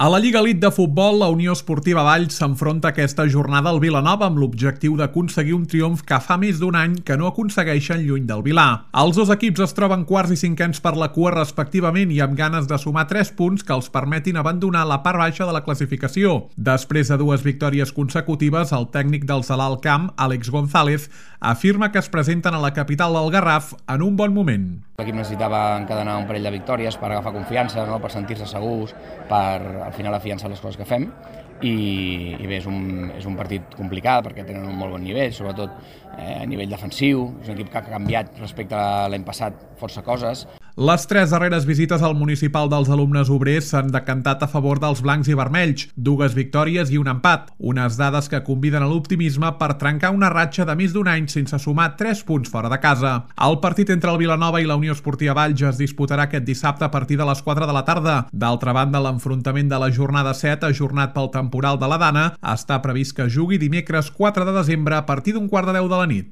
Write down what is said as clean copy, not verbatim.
A la Lliga Elite de Futbol, la Unió Esportiva Valls s'enfronta aquesta jornada al Vilanova amb l'objectiu d'aconseguir un triomf que fa més d'un any que no aconsegueixen lluny del Vilà. Els dos equips es troben quarts i cinquens per la cua respectivament i amb ganes de sumar 3 punts que els permetin abandonar la part baixa de la classificació. Després de 2 victòries consecutives, el tècnic del Salà al Camp, Àlex González, afirma que es presenten a la capital del Garraf en un bon moment. L'equip necessitava encadenar un parell de victòries per agafar confiança, no? Per sentir-se segurs, per al final afiançar les coses que fem i bé, és un partit complicat perquè tenen un molt bon nivell, sobretot a nivell defensiu. És un equip que ha canviat respecte a l'any passat força coses. Les 3 darreres visites al municipal dels alumnes obrers s'han decantat a favor dels blancs i vermells, 2 victòries i un empat, unes dades que conviden a l'optimisme per trencar una ratxa de més d'un any sense sumar 3 punts fora de casa. El partit entre el Vilanova i la Unió Esportiva Valls es disputarà aquest dissabte a partir de les 4 de la tarda. D'altra banda, l'enfrontament de la jornada 7, ajornat pel temporal de la Dana, està previst que jugui dimecres 4 de desembre a partir d'1:15 de la nit.